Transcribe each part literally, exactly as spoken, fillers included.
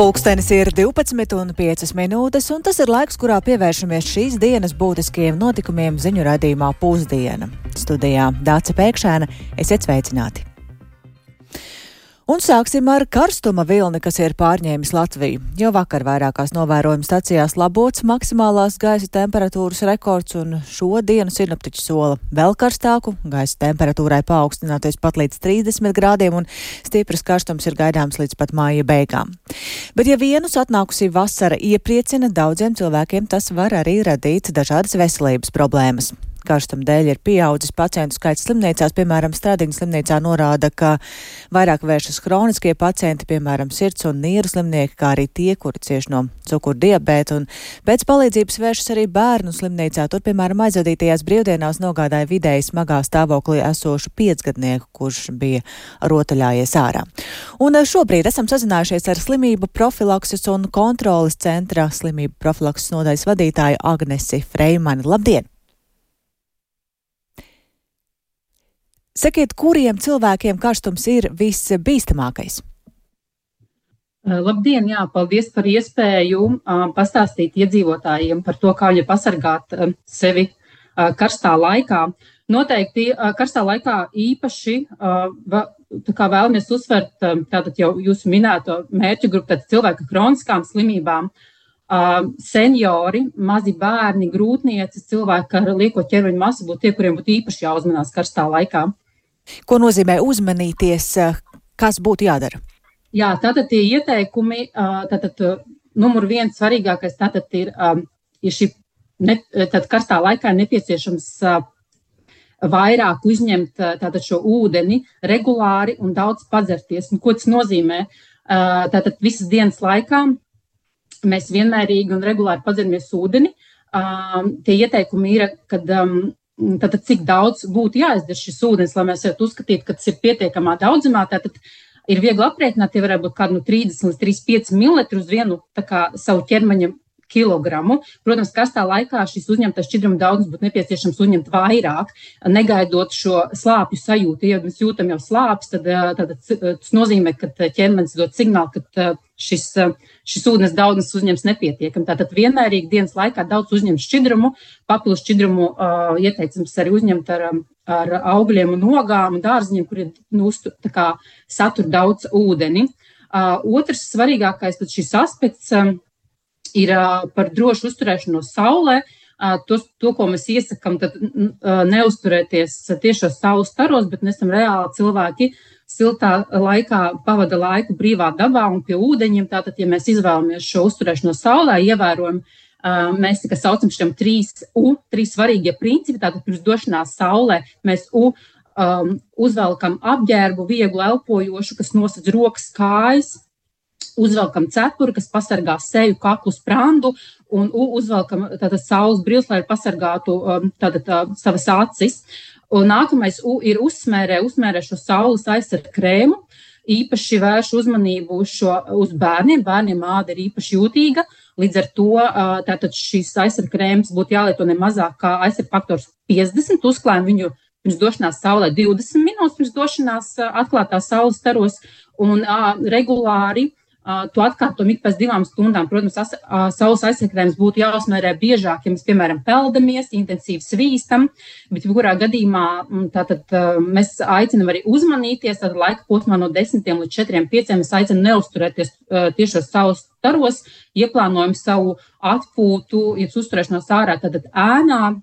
Pulkstenis ir divpadsmit un piecas minūtes, un tas ir laiks, kurā pievēršamies šīs dienas būtiskajiem notikumiem ziņu raidījumā Pusdiena. Studijā Dāce Pēkšēna, esiet sveicināti! Un sāksim ar karstuma vilni, kas ir pārņēmis Latviju. Jau vakar vairākās novērojuma stacijās labots maksimālās gaisa temperatūras rekords, un šo dienu sinoptiķi sola vēl karstāku, gaisa temperatūrai paaugstināties pat līdz trīsdesmit grādiem, un stipras karstums ir gaidāms līdz pat māja beigām. Bet ja vienus atnākusī vasara iepriecina, daudziem cilvēkiem tas var arī radīt dažādas veselības problēmas. Karstuma dēļ ir pieaudzis pacientu skaits slimnīcās, piemēram, Stradiņas slimnīcā norāda, ka vairāk vēršas hroniskie pacienti, piemēram, sirds un nieru slimnieki, kā arī tie, kuri cieš no cukuru diabēta, un pēc palīdzības vēršas arī bērnu slimnīcā. Tur, piemēram, aizvadītajās brīvdienās nogādāja vidēji smagā stāvoklī esošu piecgadnieku, kurš bija rotaļājies ārā. Un šobrīd esam sazinājušies ar slimību profilakses un kontroles centra slimību profilakses nodaļas vadītāju Agnesi Freimani. Labdien! Sakiet, kuriem cilvēkiem karstums ir visbīstamākais? Labdien, jā, paldies par iespēju uh, pastāstīt iedzīvotājiem par to, kā viņi pasargāt uh, sevi uh, karstā laikā. Noteikti uh, karstā laikā īpaši uh, va, tā kā vēlamies uzsvert uh, tātad jau jūsu minēto mērķu grupu, tātad cilvēku kroniskām slimībām, uh, seniori, mazi bērni, grūtnieces, cilvēki ar lieko ķermeņa masu būtu tie, kuriem būtu īpaši jāuzmanās karstā laikā. Ko nozīmē uzmanīties, kas būtu jādara? Jā, tātad tie ieteikumi, tātad numur viens svarīgākais tātad ir, ir šī, ne, tātad karstā laikā nepieciešams vairāk uzņemt tātad šo ūdeni regulāri un daudz padzerties. Un ko tas nozīmē? Tātad visas dienas laikā mēs vienmērīgi un regulāri padzeramies ūdeni. Tie ieteikumi ir, kad tātad cik daudz būtu jāizdzer šis ūdens, lai mēs varētu uzskatīt, ka tas ir pietiekamā daudzumā. Tātad ir viegli aprēķināt, ja varētu būt kādu no trīsdesmit līdz trīsdesmit pieci mililitri uz vienu tā kā savu ķermeņa kilogramu. Protams, karstā laikā šis uzņemtais šķidruma daudzums būtu nepieciešams uzņemt vairāk, negaidot šo slāpju sajūtu. Ja mēs jūtam jau slāpes, tad, tad tas nozīmē, ka ķermenis dod signālu, ka šis, šis ūdens daudzums uzņems nepietiekam. Tātad vienmērīgi dienas laikā daudz uzņemt šķidrumu, papildus šķidrumu uh, ieteicams arī uzņemt ar, ar augļiem un ogām un dārziņiem, kuriem nu, tā kā satur daudz ūdeni. Uh, otrs svarīgākais tad šis aspekts um, ir uh, par drošu uzturēšanos saulē. Uh, to, to, ko mēs iesakam, tad uh, neuzturēties tiešos saules staros, bet mēs esam reāli cilvēki siltā laikā pavada laiku brīvā dabā un pie ūdeņiem. Tātad, ja mēs izvēlamies šo uzturēšanos saulē, ievērojam, uh, mēs tā kā saucam šiem trīs U, trīs svarīgie principi. Tātad pirms došanās saulē mēs U um, uzvelkam apģērbu, vieglu elpojošu, kas nosedz rokas, kājas. Uzvelkam cepuri, kas pasargā seju, kaklu, sprandu, un uzvelkam tātad saules brīles, lai pasargātu tātad tā, savas acis. Un nākamais U ir uzsmērē, uzsmērē šo saules aizsardz krēmu, īpaši vērš uzmanību uz, šo, uz bērniem, bērniem āda ir īpaši jūtīga, līdz ar to tātad šīs aizsardz krēmas būtu jālieto ne mazāk kā aizsardz faktors piecdesmit, uzklājam viņu pirms došanās saulē divdesmit minūtes, pirms došanās atklātā saules staros, un a, regulāri Uh, to atkārtojam ik pēc divām stundām. Protams, as, uh, saules aizsargkrēms būtu jāuzmērē biežāk, ja mēs, piemēram, peldamies, intensīvi svīstam, bet kurā gadījumā tātad, uh, mēs aicinam arī uzmanīties, tad laika posmā no desmitiem līdz četriem pieciem mēs aicinam neuzturēties uh, tiešos saules staros, ieplānojam savu atpūtu, ja uzturēšanos ārā, tad ēnā.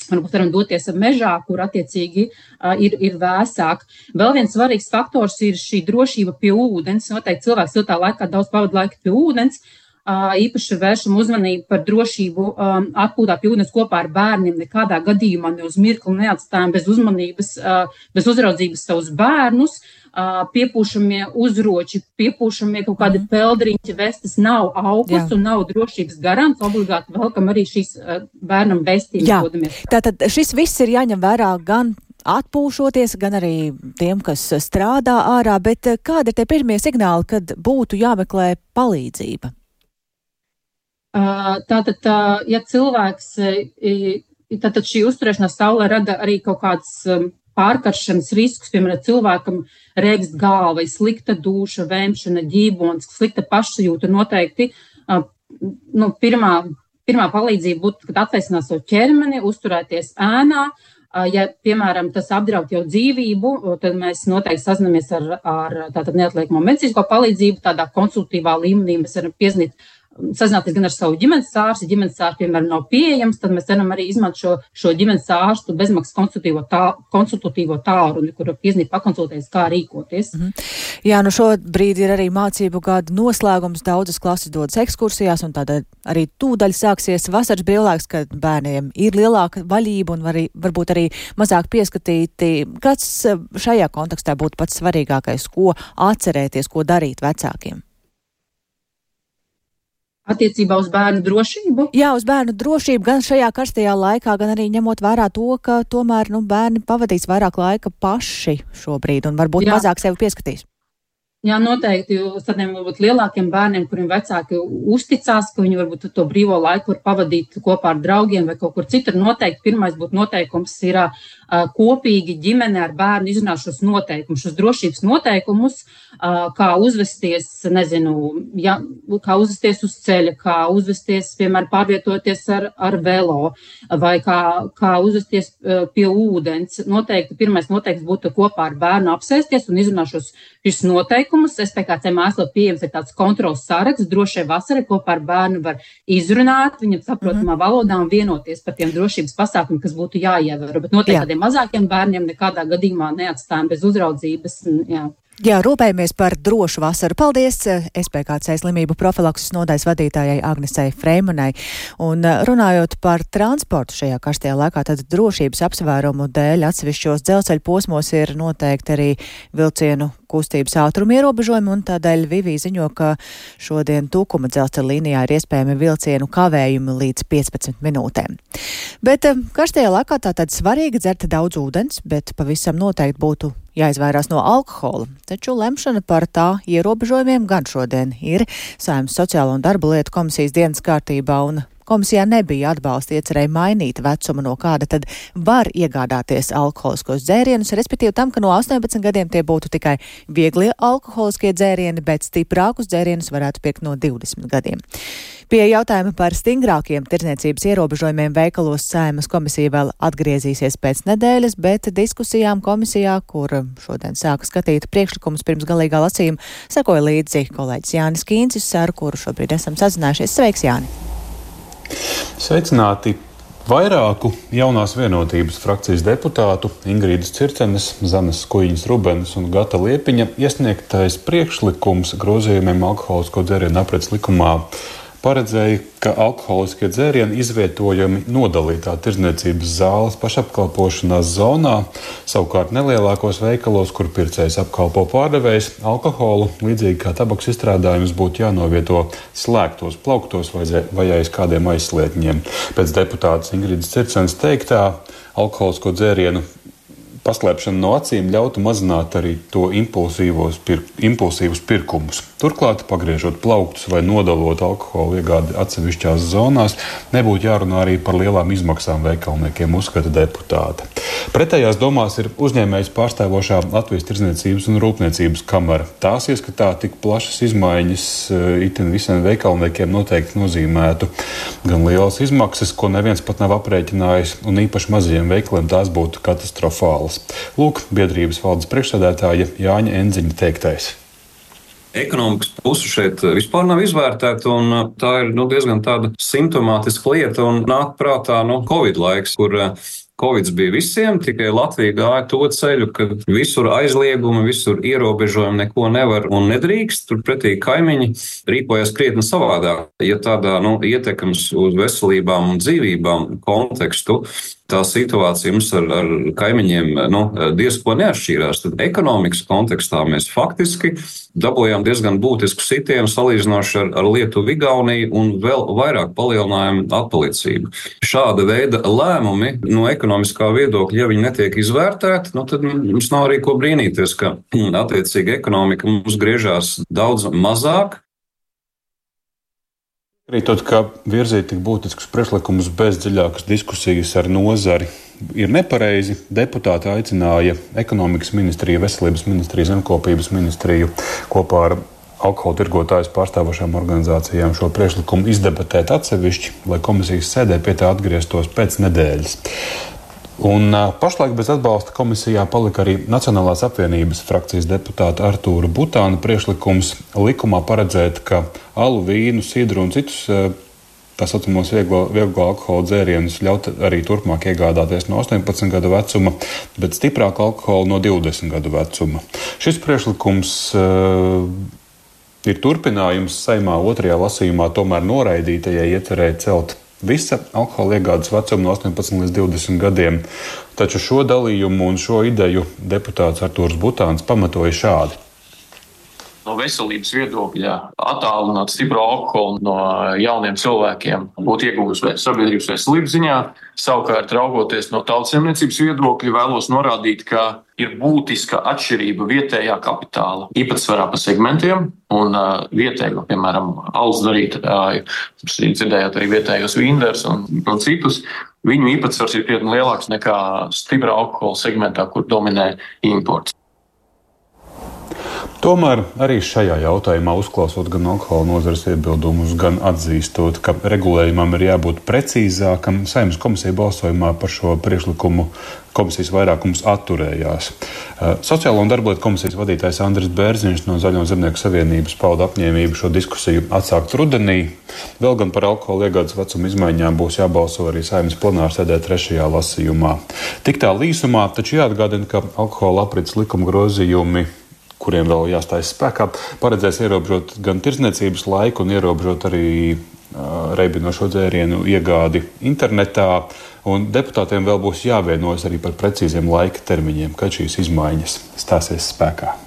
Varbūt varam doties mežā, kur attiecīgi uh, ir, ir vēsāk. Vēl viens svarīgs faktors ir šī drošība pie ūdens. Noteikti cilvēks siltā laikā daudz pavada laika pie ūdens. Uh, īpaši vēršam uzmanību par drošību um, atpūtā pie ūdens kopā ar bērniem. Nekādā gadījumā ne uz mirkli neatstājam bez uzmanības, uh, bez uzraudzības savus bērnus. Uh, piepūšamie uzroči, piepūšamie kaut kādi peldriņķi vestas nav augurs un nav drošības garants. Obligāti velkam arī šīs uh, bērnam vestījumus. Tātad šis viss ir jāņem vērā gan atpūšoties, gan arī tiem, kas strādā ārā, bet kādi ir tie pirmie signāli, kad būtu jāmeklē palīdzība? Uh, tātad, uh, ja cilvēks, uh, tātad šī uzturēšanās saulē rada arī kaut kādas um, pārkaršanas riskus, piemēram, cilvēkam rēgst galva, slikta duša, vēmšana, ģībons, slikta pašsajūta noteikti. Nu, pirmā, pirmā palīdzība būtu, kad atveicināt savu ķermeni, uzturēties ēnā. Ja, piemēram, tas apdraud jau dzīvību, tad mēs noteikti sazinamies ar, ar tātad neatliekamo medicīnisko palīdzību, tādā konsultīvā līmenī mēs varam piezinīt, sazināties gan ar savu ģimenes ārstu, ja ģimenes ārsts, piemēram, nav pieejams, tad mēs varam arī izmantot šo, šo ģimenes ārstu bezmaksas konsultatīvo, tā, konsultatīvo tālruni, kur piezinīt, pakonsultēties, kā rīkoties. Mm-hmm. Jā, nu šobrīd ir arī mācību gada noslēgums, daudzas klases dodas ekskursijās, un tādā arī tūdaļ sāksies vasaras brīvlaiks, kad bērniem ir lielāka vaļība un var, varbūt arī mazāk pieskatīti. Kāds šajā kontekstā būtu pats svarīgākais, ko atcerēties, ko darīt vecākiem? Attiecībā uz bērnu drošību? Jā, uz bērnu drošību gan šajā karstajā laikā, gan arī ņemot vērā to, ka tomēr nu, bērni pavadīs vairāk laika paši šobrīd un varbūt Jā. mazāk sevi pieskatīs. Jā, noteikti, jo tādiem varbūt lielākiem bērniem, kuriem vecāki uzticās, ka viņi varbūt to brīvo laiku var pavadīt kopā ar draugiem vai kaut kur citur. Noteikti pirmais būtu noteikums ir uh, kopīgi ģimene ar bērnu izrunāt šos noteikumus, šos drošības noteikumus, uh, kā uzvesties, nezinu, ja, kā uzvesties uz ceļa, kā uzvesties, piemēram, pārvietoties ar, ar velo vai kā, kā uzvesties uh, pie ūdens. Noteikti pirmais noteikums būtu kopā ar bērnu apsēsties un izrunāt šos, šos noteikumus. S P K C mājaslapā pieejams ir tāds kontrols saraksts, drošai vasarai kopā ar bērnu var izrunāt, viņam saprotamā valodā un vienoties par tiem drošības pasākumiem, kas būtu jāievēro. Bet noteikti tādiem mazākiem bērniem nekādā gadījumā neatstājam bez uzraudzības. Jā. Jā, rūpējamies par drošu vasaru. Paldies S P K C slimību profilakses nodaļas vadītājai Agnesei Freimanai. Un runājot par transportu šajā karstajā laikā, tad drošības apsvērumu dēļ atsevišķos dzelzceļa posmos ir noteikti arī vilcienu kustības ātruma ierobežojumi, un tādēļ Vivī ziņo, ka šodien Tukuma dzelzceļa līnijā ir iespējami vilcienu kavējumi līdz piecpadsmit minūtēm. Bet karstajā laikā tātad svarīgi dzert daudz ūdens, bet pavisam noteikti būtu jāizvairās no alkohola. Taču lemšana par tā ierobežojumiem gan šodien ir Saeimas sociālo un darba lietu komisijas dienas kārtībā, un komisijā nebija atbalsta iecerēja mainīt vecumu, no kāda tad var iegādāties alkoholiskos dzērienus, respektīvi tam, ka no astoņpadsmit gadiem tie būtu tikai vieglie alkoholiskie dzērieni, bet stiprākus dzērienus varētu pirkt no divdesmit gadiem. Pie jautājuma par stingrākiem tirdzniecības ierobežojumiem veikalos Saeimas komisija vēl atgriezīsies pēc nedēļas, bet diskusijām komisijā, kur šodien sāka skatīt priekšlikumus pirms galīgā lasījuma, sekoja līdzi kolēģis Jānis Kīncis, ar kuru šobrīd esam sazinājušies. Sveiks, Jāni! Sveicināti! Vairāku jaunās vienotības frakcijas deputātu Ingrīdas Circenes, Zanes Kujiņas Rubenes un Gata Liepiņa iesniegtais priekšlikums grozījumiem alkoholisko dzērienu aprits likumā paredzēja, ka alkoholiskie dzērieni izvietojami nodalītā tirdzniecības zāles pašapkalpošanās zonā, savukārt nelielākos veikalos, kur pircējs apkalpo pārdevējs, alkoholu, līdzīgi kā tabaks izstrādājums, būtu jānovieto slēgtos plauktos vai aiz kādiem aizslietņiem. Pēc deputātas Ingrīdas Circenes teiktā, alkoholisko dzērienu paslēpšana no acīm ļautu mazināt arī to impulsīvos pir, impulsīvus pirkumus. Turklāt, pagriežot plauktus vai nodalot alkoholu iegādi atsevišķās zonās, nebūtu jārunā arī par lielām izmaksām veikalniekiem, uzskata deputāte. Pretējās domās ir uzņēmējs pārstāvošā Latvijas tirdzniecības un rūpniecības kamara. Tās ieskatā tik plašas izmaiņas itin visiem veikalniekiem noteikti nozīmētu gan lielas izmaksas, ko neviens pat nav aprēķinājis, un īpaši mazajiem veikaliem tās būtu katastrofālas. Lūk, biedrības valdes priekšsēdētāja Jāņa Endziņa teiktais. Ekonomikas puse šeit vispār nav izvērtēta, un tā ir nu, diezgan tāda simptomātiska lieta, un nāk prātā nu, Covid laiks, kur Covid bija visiem, tikai Latvija gāja to ceļu, ka visur aizliegumi, visur ierobežojumi, neko nevar un nedrīkst. Turpretī kaimiņi rīkojas krietni savādāk. Ja tādā nu, ietekmes uz veselībām un dzīvībām kontekstu, tā situācija mums ar, ar kaimiņiem nu, diezko neatšķīrās. Tad ekonomikas kontekstā mēs faktiski dabūjām diezgan būtisku sitienu salīdzinoši ar, ar Lietuvu, Igauniju un vēl vairāk palielinājām atpalicību. Šāda veida lēmumi no ekonomiskā viedokļa, ja viņi netiek izvērtēti, nu, tad mums nav arī ko brīnīties, ka attiecīgi ekonomika mums griežās daudz mazāk. Arī tad, ka virzīt tik būtiskus priekšlikumus bez dziļākas diskusijas ar nozari ir nepareizi. Deputāti aicināja ekonomikas ministriju, veselības ministriju, zemkopības ministriju kopā ar alkohola tirgotājus pārstāvošām organizācijām šo priekšlikumu izdebatēt atsevišķi, lai komisijas sēdē pie tā atgrieztos pēc nedēļas. Un pašlaik bez atbalsta komisijā palika arī Nacionālās apvienības frakcijas deputāta Artūra Butāna priekšlikums likumā paredzēt, ka alu, vīnu, sidru un citus tā saucamos vieglo, vieglo alkohola dzērienus ļaut arī turpmāk iegādāties no astoņpadsmit gadu vecuma, bet stiprāku alkoholu no divdesmit gadu vecuma. Šis priekšlikums uh, ir turpinājums Saeimā otrajā lasījumā tomēr noraidītajai iecerēja celt visa alkohola iegādes vecuma no astoņpadsmit līdz divdesmit gadiem. Taču šo dalījumu un šo ideju deputāts Artūrs Butāns pamatoja šādi. No veselības viedokļa attālināt stipro alkoholu no jauniem cilvēkiem būtu iegūms sabiedrības veselības ziņā. Savukārt, raugoties no tautsaimniecības viedokļa, vēlos norādīt, ka ir būtiska atšķirība vietējā kapitāla īpatsvarā pa segmentiem un uh, vietējo, piemēram, alus darītāju, dzirdējāt arī vietējos vīnders un, un citus. Viņu īpatsvars ir krietni lielāks nekā stiprā alkohola segmentā, kur dominē imports. Tomēr arī šajā jautājumā, uzklausot gan alkohola nozares iebildumus, gan atzīstot, ka regulējumam ir jābūt precīzākam, Saeimas komisija balsojumā par šo priekšlikumu komisijas vairākums atturējās. Sociālo un darblietu komisijas vadītājs Andris Bērziņš no Zaļo zemnieku savienības pauda apņēmību šo diskusiju atsākt rudenī. Vēl gan par alkohola iegādes vecuma izmaiņām būs jābalso arī Saeimas plenārsēdē trešajā lasījumā. Tik tā līsumā, taču jāatgādina, ka alkohola aprits likuma grozījumi, kuriem vēl jāstājas spēkā, paredzēs ierobežot gan tirdzniecības laiku un ierobežot arī uh, reibinošo dzērienu iegādi internetā. Un deputātiem vēl būs jāvienojas arī par precīziem laika termiņiem, kad šīs izmaiņas stāsies spēkā.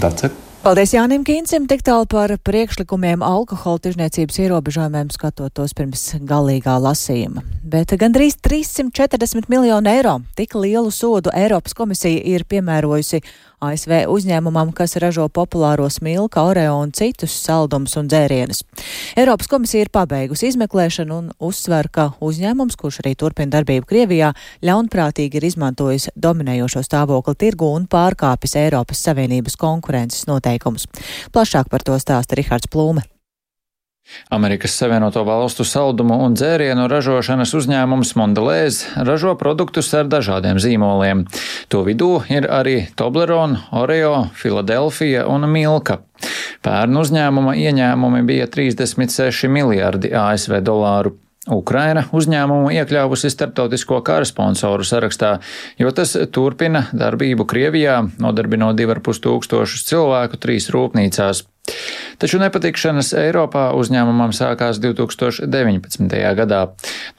Dace? Paldies Jānim Kīncim, tik tālu par priekšlikumiem alkohola tirdzniecības ierobežojumiem, skatot tos pirms galīgā lasījuma. Bet gandrīz trīssimt četrdesmit miljonu eiro tik lielu sodu Eiropas komisija ir piemērojusi A S V uzņēmumam, kas ražo populāro Smilka, Oreo un citus saldumus un dzērienus. Eiropas komisija ir pabeigusi izmeklēšanu un uzsver, ka uzņēmums, kurš arī turpina darbību Krievijā, ļaunprātīgi ir izmantojis dominējošo stāvokli tirgu un pārkāpis Eiropas Savienības konkurences noteikumus. Plašāk par to stāsta Rihards Plūme. Amerikas Savienoto Valstu saldumu un dzērienu ražošanas uzņēmums Mondelez ražo produktus ar dažādiem zīmoliem. To vidū ir arī Toblerone, Oreo, Philadelphia un Milka. Pērn uzņēmuma ieņēmumi bija trīsdesmit seši miljardi A S V dolāru. Ukraina uzņēmumu iekļāvusi starptautisko kara sponsoru sarakstā, jo tas turpina darbību Krievijā, nodarbinot divi ar pus tūkstošus cilvēku trīs rūpnīcās. Taču nepatikšanas Eiropā uzņēmumam sākās divi tūkstoši deviņpadsmitajā gadā.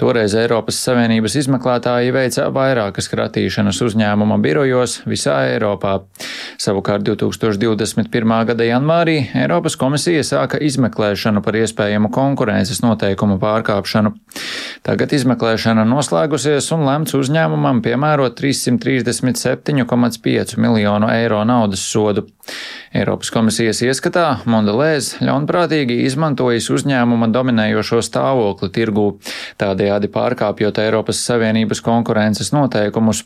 Toreiz Eiropas Savienības izmeklētāji veica vairākas kratīšanas uzņēmuma birojos visā Eiropā. Savukārt divi tūkstoši divdesmit pirmā gada janvārī Eiropas komisija sāka izmeklēšanu par iespējamu konkurences noteikumu pārkāpšanu. Tagad izmeklēšana noslēgusies un lemts uzņēmumam piemērot trīssimt trīsdesmit septiņu komats pieci miljonu eiro naudas sodu. Eiropas komisijas ieskatā Mondelez ļaunprātīgi izmantojis uzņēmuma dominējošo stāvokli tirgū, tādējādi pārkāpjot Eiropas Savienības konkurences noteikumus.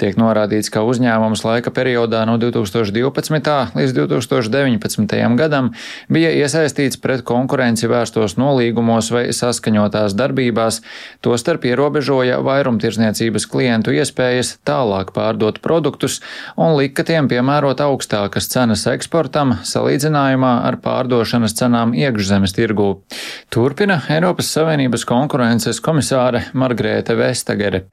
Tiek norādīts, ka uzņēmums laika periodā no divi tūkstoši divpadsmitā līdz divi tūkstoši deviņpadsmitajam gadam bija iesaistīts pret konkurenci vērstos nolīgumos vai saskaņotās darbībās, tostarp ierobežoja vairumtirdzniecības klientu iespējas tālāk pārdot produktus un lika tiem piemērot augstākas cenas eksportam salīdzinājumā ar pārdošanas cenām iekšzemes tirgū. Turpina Eiropas Savienības konkurences komisāre Margrēte Vestagere.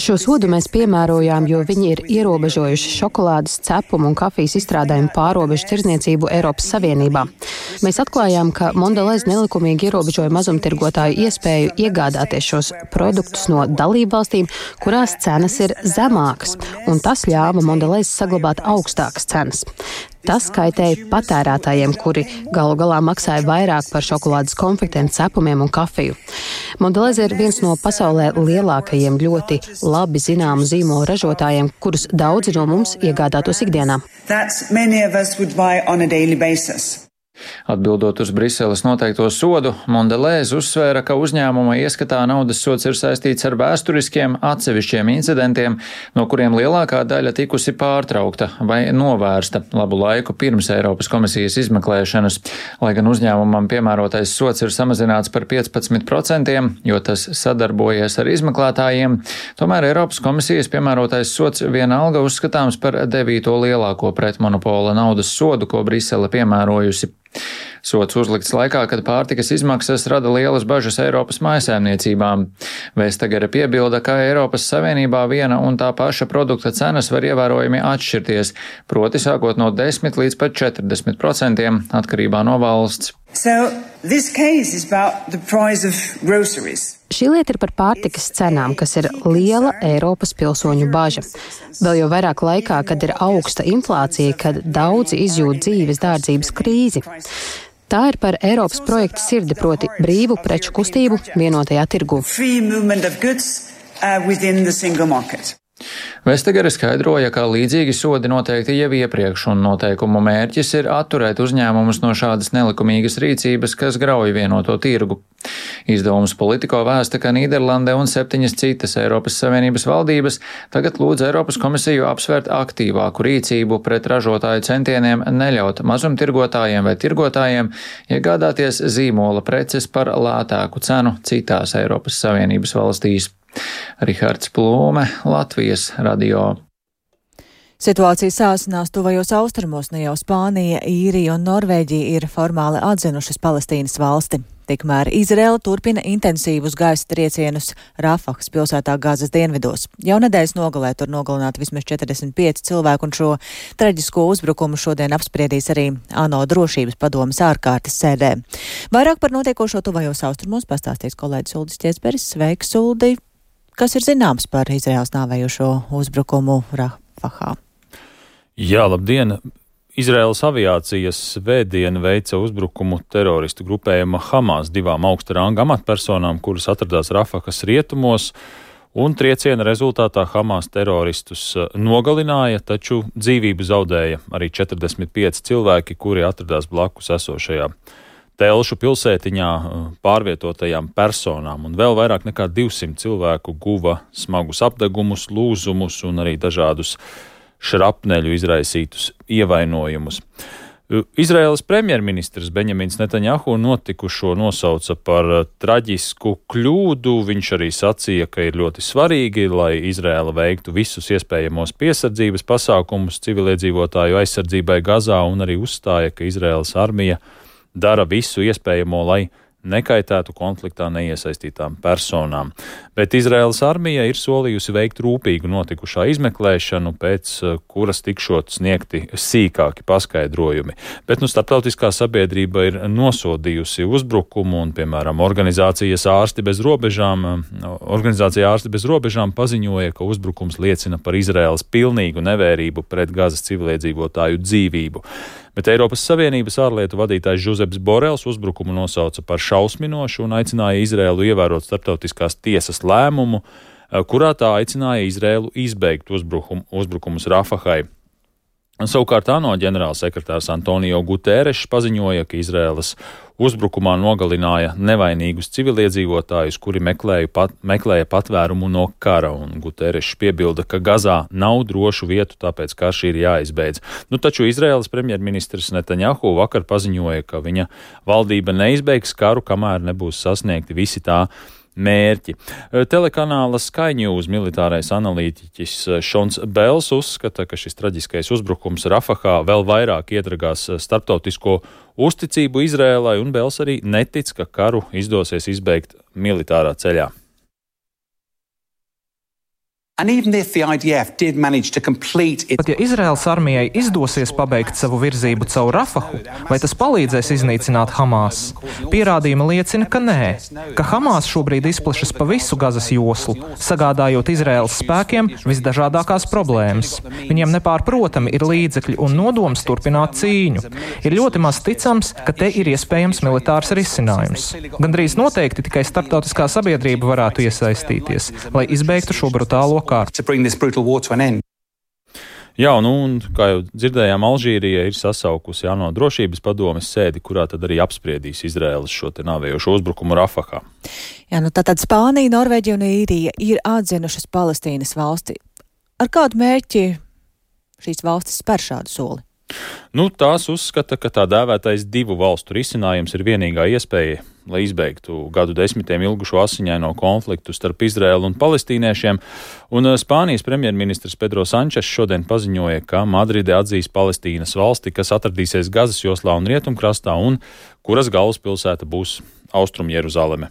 Šo sodu mēs piemērojām, jo viņi ir ierobežojuši šokolādes, cepumu un kafijas izstrādājumu pārobežu tirdzniecību Eiropas Savienībā. Mēs atklājām, ka Mondelez nelikumīgi ierobežoja mazumtirgotāju iespēju iegādāties šos produktus no dalībvalstīm, kurās cenas ir zemākas, un tas ļauj ļāva Mondelez saglabāt augstākas cenas. Tas kaitēja patērētājiem, kuri galu galā maksāja vairāk par šokolādes konfektēm, cepumiem un kafiju. Mondelez ir viens no pasaulē lielākajiem ļoti labi zināmu zīmolu ražotājiem, kurus daudzi no mums iegādātos ikdienā. Atbildot uz Briseles noteikto sodu, Mondelez uzsvēra, ka uzņēmuma ieskatā naudas sods ir saistīts ar vēsturiskiem atsevišķiem incidentiem, no kuriem lielākā daļa tikusi pārtraukta vai novērsta labu laiku pirms Eiropas komisijas izmeklēšanas. Lai gan uzņēmumam piemērotais sods ir samazināts par piecpadsmit procentiem, jo tas sadarbojies ar izmeklētājiem, tomēr Eiropas komisijas piemērotais sods vienalga uzskatāms par devīto lielāko pretmonopola naudas sodu, ko Brisele piemērojusi. Sods uzlikts laikā, kad pārtikas izmaksas rada lielas bažas Eiropas mājsaimniecībām. Vestagere piebilda, ka Eiropas Savienībā viena un tā paša produkta cenas var ievērojami atšķirties, proti sākot no desmit līdz pat četrdesmit procentiem atkarībā no valsts. So, Šī lieta ir par pārtikas cenām, kas ir liela Eiropas pilsoņu baža. Vēl jau vairāk laikā, kad ir augsta inflācija, kad daudzi izjūt dzīves dārdzības krīzi. Tā ir par Eiropas projekta sirdi, proti brīvu preču kustību vienotajā tirgu. Vestagere skaidroja, ka līdzīgi sodi noteikti jau iepriekš, un noteikumu mērķis ir atturēt uzņēmumus no šādas nelikumīgas rīcības, kas grauj vienoto tirgu. Izdevums Politico vēsta, ka Nīderlande un septiņas citas Eiropas Savienības valdības tagad lūdz Eiropas komisiju apsvērt aktīvāku rīcību pret ražotāju centieniem neļaut mazumtirgotājiem vai tirgotājiem iegādāties zīmola preces par lētāku cenu citās Eiropas Savienības valstīs. Rihards Plūme, Latvijas radio. Situācija sāsinās tuvajos austrumos, ne jau Spānija, Īrija un Norvēģija ir formāli atzinušas Palestīnas valsti. Tikmēr Izraela turpina intensīvus gaisa triecienus Rafahas pilsētā Gazas dienvidos. Jau nedēļas nogalē tur nogalināti vismaz četrdesmit pieci cilvēki, un šo traģisko uzbrukumu šodien apspriedīs arī ANO drošības padomes ārkārtas sēdē. Vairāk par notiekošo tuvajos austrumos pastāstīs kolēģis Uldis Ķiesberis. Sveiks, Uldi! Kas ir zināms par Izraels nāvējošo uzbrukumu Rafahā? Jā, labdien! Izraēlas aviācijas svētdien veica uzbrukumu teroristu grupējuma Hamas divām augsta ranga amatpersonām, kuras atradās Rafahas rietumos, un trieciena rezultātā Hamas teroristus nogalināja, taču dzīvību zaudēja arī četrdesmit pieci cilvēki, kuri atradās blakus esošajā Telšu pilsētiņā pārvietotajām personām, un vēl vairāk nekā divsimt cilvēku guva smagus apdegumus, lūzumus un arī dažādus šrapneļu izraisītus ievainojumus. Izraēlas premjerministrs Benjamins Netanjahu notikušo nosauca par traģisku kļūdu. Viņš arī sacīja, ka ir ļoti svarīgi, lai Izraēla veiktu visus iespējamos piesardzības pasākumus civiliedzīvotāju aizsardzībai Gazā, un arī uzstāja, ka Izraēlas armija dara visu iespējamo, lai nekaitētu konfliktā neiesaistītām personām. Bet Izraēlas armija ir solījusi veikt rūpīgu notikušā izmeklēšanu, pēc kuras tikšot sniegti sīkāki paskaidrojumi. Bet nu, starptautiskā sabiedrība ir nosodījusi uzbrukumu, un, piemēram, organizācijas ārsti bez robežām, organizācija ārsti bez robežām paziņoja, ka uzbrukums liecina par Izraēlas pilnīgu nevērību pret Gazas civiliedzīvotāju dzīvību. Bet Eiropas Savienības ārlietu vadītājs Žuzeps Borels uzbrukumu nosauca par šausminošu un aicināja Izraēlu ievērot starptautiskās tiesas lēmumu, kurā tā aicināja Izraēlu izbeigt uzbrukumu, uzbrukumus Rafahai. Savukārt ANO ģenerālsekretārs Antonio Guterešs paziņoja, ka Izraēlas uzbrukumā nogalināja nevainīgus civiliedzīvotājus, kuri meklēja, pat, meklēja patvērumu no kara, un Guterešs piebilda, ka Gazā nav drošu vietu, tāpēc karš ir jāizbeidz. Nu, taču Izraēlas premjerministrs Netanjahu vakar paziņoja, ka viņa valdība neizbeigs karu, kamēr nebūs sasniegti visi tā mērķi. Telekanāla Sky News militārais analītiķis Šons Bels uzskata, ka šis traģiskais uzbrukums Rafahā vēl vairāk iedragās starptautisko uzticību Izrēlai, un Bels arī netic, ka karu izdosies izbeigt militārā ceļā. And even if the I D F did manage to complete its... Pat ja Izraēlas armijai izdosies pabeigt savu virzību caur Rafahu, vai tas palīdzēs iznīcināt Hamas? Pierādījumi liecina, ka nē, ka Hamas šobrīd izplešas pa visu Gazas joslu, sagādājot Izraēlas spēkiem visdažādākās problēmas. Viņiem nepārprotami ir līdzekļi un nodoms turpināt cīņu. Ir ļoti maz ticams, ka te ir iespējams militārs risinājums. Gandrīz noteikti tikai starptautiskā sabiedrība varētu iesaistīties, lai izbeigtu šo brutālo kārtu. Jā, nu, un kā jau dzirdējām, Alžīrija ir sasaukusi ANO drošības padomes sēdi, kurā tad arī apspriedīs Izraēlas šo te nāvējošo uzbrukumu Rafahā. Jā, nu tātad Spānija, Norvēģija un Īrija ir atzinušas Palestīnas valsti. Ar kādu mērķi šīs valstis spēr šādu soli? Nu, tās uzskata, ka tā dēvētais divu valstu risinājums ir vienīgā iespēja, lai izbeigtu gadu desmitiem ilgušo asiņaino konfliktu starp Izraēlu un palestīniešiem, un Spānijas premjerministrs Pedro Sančes šodien paziņoja, ka Madride atzīs Palestīnas valsti, kas atradīsies Gazas joslā un Rietumkrastā, un kuras galvaspilsēta būs Austrum Jeruzaleme.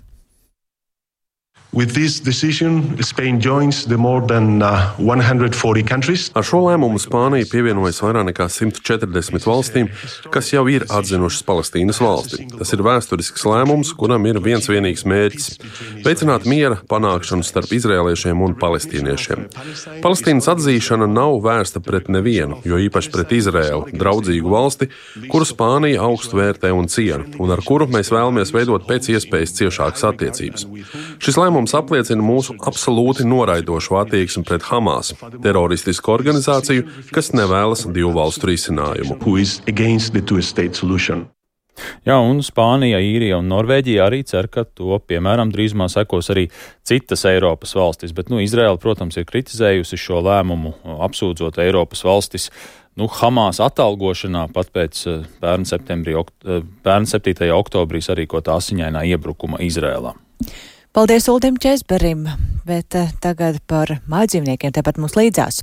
With this decision, Spain joins the more than uh, one hundred forty countries. Ar šo lēmumu Spānija pievienojas vairāk nekā simt četrdesmit valstīm, kas jau ir atzinušas Palestīnas valsti. Tas ir vēsturisks lēmums, kuram ir viens vienīgs mērķis – veicināt miera panākšanu starp izrēliešiem un palestīniešiem. Palestīnas atzīšana nav vērsta pret nevienu, jo īpaši pret Izrēlu, draudzīgu valsti, kuru Spānija augstu vērtē un ciena, un ar kuru mēs vēlamies veidot pēc iespējas ciešākas attiecības. Šis lēmums apliecina mūsu absolūti noraidošu attieksmi pret Hamas, teroristisku organizāciju, kas nevēlas divu valstu risinājumu. Jā, un Spānija, Īrija un Norvēģija arī cer, ka to, piemēram, drīzumā sekos arī citas Eiropas valstis, bet, nu, Izraēla, protams, ir kritizējusi šo lēmumu, apsūdzot Eiropas valstis, nu, Hamas atalgošanā pat pēc pērn septembrī, pērn septītajā oktobrī sarīkotā asiņainā iebrukuma Izrēlā. Paldies Uldim Česberim, bet tagad par mājdzīvniekiem tepat mums līdzās.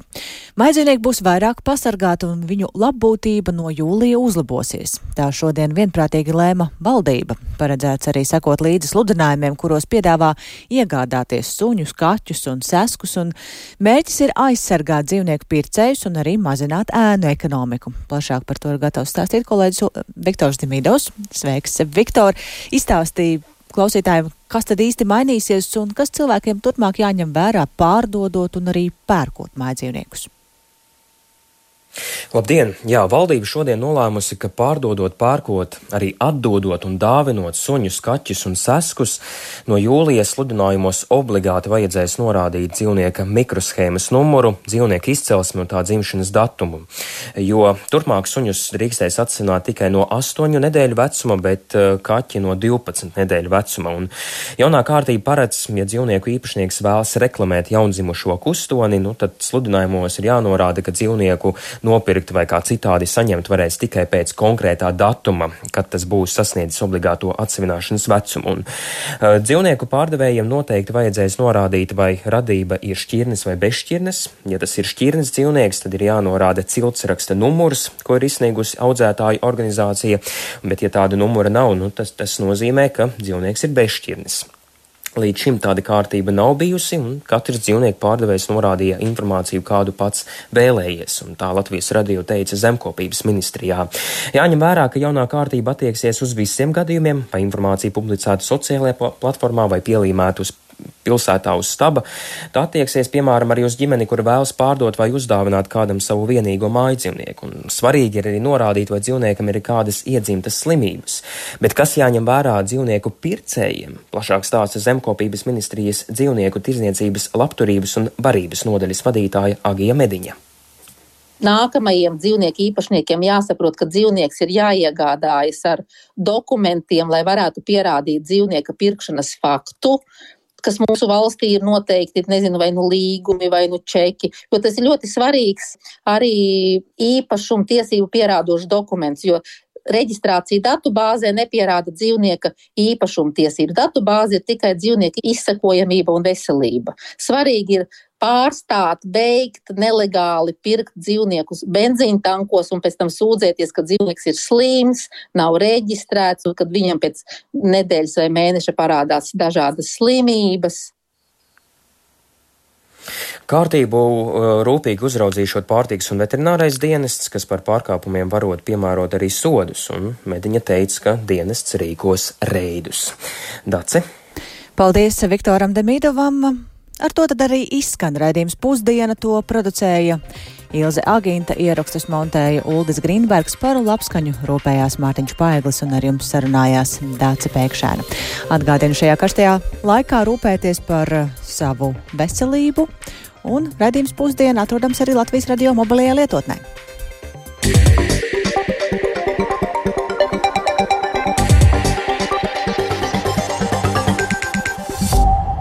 Mājdzīvnieki būs vairāk pasargāti un viņu labbūtība no jūlija uzlabosies. Tā šodien vienprātīgi lēma valdība. Paredzēts arī sekot līdzi sludinājumiem, kuros piedāvā iegādāties suņus, kaķus un seskus, un mērķis ir aizsargāt dzīvnieku pircējus un arī mazināt ēnu ekonomiku. Plašāk par to ir gatavs stāstīt kolēģis Viktors Dimidovs. Sveiks, Viktor! Izstāstīja klausītājiem, kas tad īsti mainīsies un kas cilvēkiem turpmāk jāņem vērā pārdodot un arī pērkot mājdzīvniekus. Labdien! Jā, valdība šodien nolēmusi, ka pārdodot, pērkot, arī atdodot un dāvinot suņus, kaķus un seskus, no jūlija sludinājumos obligāti vajadzēs norādīt dzīvnieka mikroshēmas numuru, dzīvnieka izcelsmi un tā dzimšanas datumu. Jo turpmāk suņus drīkstēs atsināt tikai no astoņu nedēļu vecuma, bet kaķi no divpadsmit nedēļu vecuma. Un jaunā kārtība paredz, ja dzīvnieku īpašnieks vēlas reklamēt jaundzimušo kustoni, nu tad sludinājumos ir jānorāda, ka dzīvnieku nopirkt vai kā citādi saņemt varēs tikai pēc konkrētā datuma, kad tas būs sasniedzis obligāto atsevināšanas vecumu. Un uh, dzīvnieku pārdevējiem noteikti vajadzēs norādīt, vai radība ir šķirnes vai bezšķirnes. Ja tas ir šķirnes dzīvnieks, tad ir jānorāda ciltsraksta numurs, ko ir izsniegusi audzētāju organizācija, bet ja tāda numura nav, nu, tas, tas nozīmē, ka dzīvnieks ir bezšķirnes. Līdz šim tāda kārtība nav bijusi, un katrs dzīvnieku pārdevējs norādīja informāciju, kādu pats vēlējies, un tā Latvijas radio teica Zemkopības ministrijā. Jāņem vērā, ka jaunā kārtība attieksies uz visiem gadījumiem, vai informācija publicēta sociālajā platformā vai pielīmēta uz pilsētā uz staba. Tā attieksies, piemēram, arī uz ģimeni, kur vēlas pārdot vai uzdāvināt kādam savu vienīgo mājdzīvnieku. Un svarīgi ir arī norādīt, vai dzīvniekam ir kādas iedzimtas slimības. Bet kas jāņem vērā dzīvnieku pircējiem? Plašāk stāsta Zemkopības ministrijas dzīvnieku tirdzniecības, labturības un barības nodaļas vadītāja Agija Mediņa. Nākamajiem dzīvnieku īpašniekiem jāsaprot, ka dzīvnieks ir jāiegādājas ar dokumentiem, lai varētu pierādīt dzīvnieka pirkšanas faktu, kas mūsu valstī ir noteikti, nezinu, vai nu līgumi, vai nu čeki, jo tas ir ļoti svarīgs arī īpašuma tiesību pierādošs dokuments, jo reģistrācija datubāzē nepierāda dzīvnieka īpašuma tiesību. Datubāze ir tikai dzīvnieka izsekojamība un veselība. Svarīgi ir pārstāt, beigt, nelegāli pirkt dzīvniekus benzīna tankos un pēc tam sūdzēties, ka dzīvnieks ir slims, nav reģistrēts un kad viņam pēc nedēļas vai mēneša parādās dažādas slimības. Kārtību rūpīgi uzraudzīšot pārtikas un veterinārais dienests, kas par pārkāpumiem varot piemērot arī sodus, un Mediņa teica, ka dienests rīkos reidus. Dace? Paldies Viktoram Demīdovam. Ar to tad arī izskan raidījums Pusdiena, to producēja Ilze Aginta, ierakstus montēja Uldis Grīnbergs, par labskaņu rūpējās Mārtiņš Paeglis un ar jums sarunājās Dāce Pēkšēna. Atgādinu šajā karstajā laikā rūpēties par savu veselību, un raidījums Pusdiena atrodams arī Latvijas radio mobilajā lietotnē.